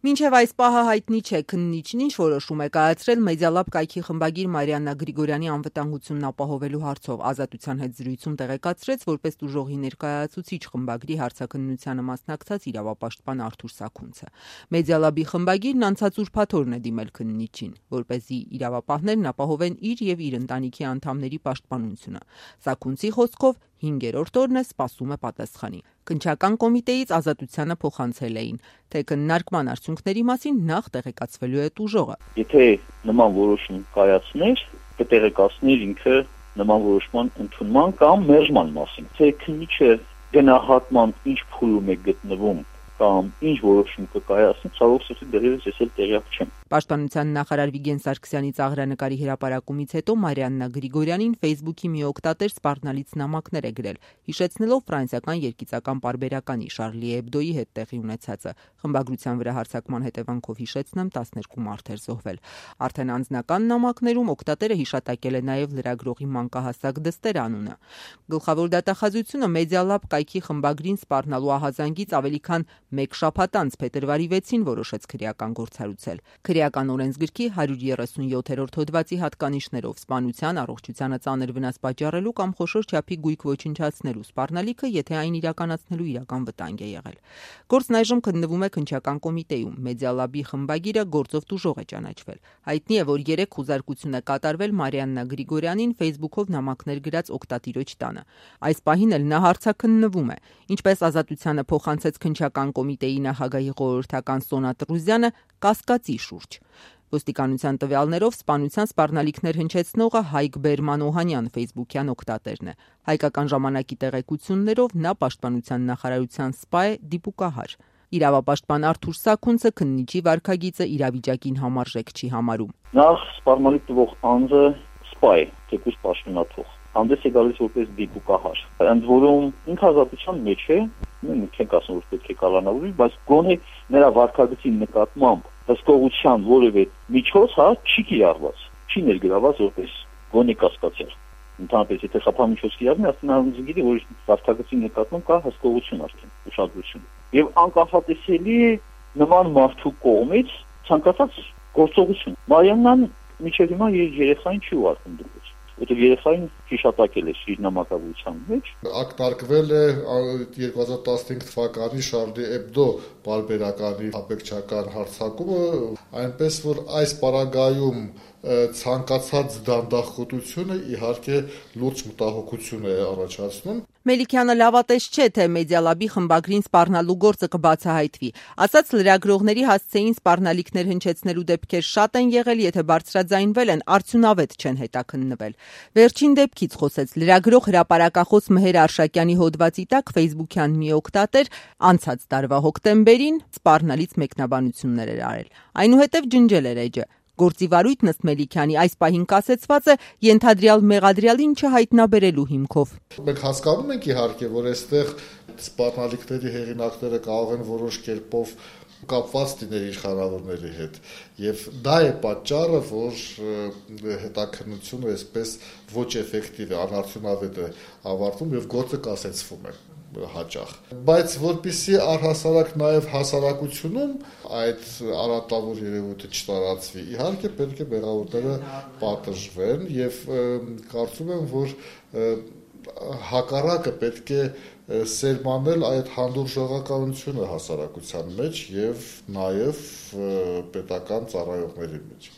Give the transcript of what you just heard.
Մինչև այս պահը հայտնի չէ քննիչն ինչ որոշում է կայացրել Մեդիալաբ կայքի խմբագիր Մարիաննա Գրիգորյանի անվտանգությունն ապահովելու հարցով։ Ազատության հետ զրույցում տեղեկացրեց, որպես տուժողի ներկայացուցիչ խմբագրի հարցաքննությանը մասնակցած իրավապաշտպան Արթուր Սաքունցը։ Մեդիալաբի խմբագիրն անցած ուրբաթօրն է դիմել քննիչին, որպեսզի իրավապահներն ապահովեն իր եւ իր ընտանիքի անդամների պաշտպանությունը։ Սաքունցի խոսքով 5-րդ օրն է սպասում է պատասխանի։ Քննչական կոմիտեից Ազատությանը փոխանցել էին, թե քննարկման արդյունքների մասին նախ տեղեկացվելու է տուժողը։ Եթե նման որոշում կայացներ, կտեղեկացներ ինքը նման որոշման ընդունման կամ մերժման մասին։ Թե քննիչը գնահատման ինչ փուլում է գտնվում կամ ինչ որոշում կկայացնի, ցավոք սրտի դեռևս ես էլ տեղյակ չեմ։ Պաշտպանության նախարար Վիգեն Սարգսյանի ծաղրանկարի հրապարակումից հետո Մարիաննա Գրիգորյանին Facebook-ի մի օգտատեր սպառնալից նամակներ է գրել, հիշեցնելով ֆրանսիական երգիծական պարբերականի Շարլի Էբդոյի հետ տեղի ունեցածը։ Խմբագրության վրա հարձակման հետևանքով հիշեցնեմ 12 մարդ էր զոհվել։ Արդեն անձնական նամակներում օգտատերը հիշատակել է նաև լրագրողի մանկահասակ Դստեր անունը։ Գլխավոր դատախազությունը Մեդիալաբ կայքի խմբագրին սպառնալու ահազանգից ավելի քան 1 շաբաթ անց փետրվարի 6-ին որոշեց քրեական գործառույցել։ Քրեական օրենսգրքի 137-րդ հոդվածի հատկանիշներով սպանության, առողջությանը ծանր վնաս պատճառելու կամ խոշոր չափի գույք ոչնչացնելու սպառնալիքը, եթե այն իրականացնելու իրական վտանգ է եղել։ Գործն այժմ քննվում է քննչական կոմիտեում։ Մեդիալաբի խմբագիրը գործով տուժող է ճանաչվել։ Հայտնի է, որ 3 խուզարկություն է կատարվել Մարիաննա Գրիգորյանին Facebook-ով նամակներ գրած օգտատիրոջ տանը։ Այս պահին էլ նա հարցաքննվում է։ Ինչպես Ազատությանը փոխանցեց քննչական կոմիտեի նախագահի խորհրդական Սոնա Տրուզյանը, կասկածի շուրջ։ Ոստիկանության տվյալներով սպանության սպառնալիքներ հնչեցնողը Հայկ Բերման Օհանյան Facebook-յան օգտատերն է։ Հայկական ժամանակի տեղեկություններով նա պաշտպանության նախարարության սպա է, դիպուկահար։ Իրավապաշտպան Արթուր Սաքունցը քննիչի վարքագիծը իրավիճակին համարժեք չի համարում։ Նախ սպառնալիք տվող անձը սպա է, թեկուզ պաշտոնաթող։ Հանդես է գալիս որպես դիպուկահար։ Ընդ որում ինքը ազատության մեջ է, չենք ասում որ պետք է կալանավորվի, բայց գոնե նրա վարքագծի նկատմամբ հսկողության որևէ միջոց չի կիրառված, չի ներգրաված որպես գոնե կասկածյալ։ Ընդհանրապես եթե խափամիջոց կիրառվի, ասենալիզը գիտի, որ վարքագծի նկատմամբ կա հսկողություն արդեն, ուշադրություն։ Եվ անկախատեսելի նման մարդու կողմից ցանկացած գործողություն։ Մարիաննան մինչև հիմա երեխային չի ուղարկում դուրս։ Որտեղ երեխային հիշատակել է իր նամակագրության մեջ։ Ակնարկվել է 2015 թվականի Շարլի Էբդո պարբերականի աբեկչական հարձակումը, այնպես որ այս պարագայում ցանկացած դանդաղկոտությունը իհարկե լուրջ մտահոգություն է առաջացնում։ Մելիքյանը լավատես չէ, թե Մեդիալաբի խմբագրին սպառնալու գործը կբացահայտվի։ Ասաց լրագրողների հասցեին սպառնալիքներ հնչեցնելու դեպքեր շատ են եղել, եթե բարձրաձայնվել են, արդյունավետ չեն հետաքննվել։ Վերջին դեպքից խոսեց լրագրող հրապարակախոս Մհեր Արշակյանի հոդվածի տակ Facebook-յան մի օգտատեր անցած տարվա հոկտեմբերին սպառնալից մեկնաբանություններ էր արել։ Այնուհետև ջնջել էր էջը։ Գործի վարույթն ըստ Մելիքյանի այս պահին կասեցված է ենթադրյալ մեղադրյալին չհայտնաբերելու հիմքով։ Մենք հասկանում ենք իհարկե, որ այստեղ սպառնալիքների հեղինակները կարող են որոշ կերպով կապված լինել իշխանավորների հետ, եւ դա է պատճառը, որ հետաքննությունը այսպես ոչ էֆեկտիվ է, անարդյունավետ է ավարտվում եւ գործը կասեցվում է հաճախ։ Բայց որպեսզի առհասարակ նաև հասարակությունում այդ արատավոր երևույթը չտարածվի, իհարկե պետք է մեղավորները պատժվեն եւ կարծում եմ, որ հակառակը պետք է սերմանել այդ հանդուրժողականությունը հասարակության մեջ եւ նաեւ պետական ծառայողների մեջ։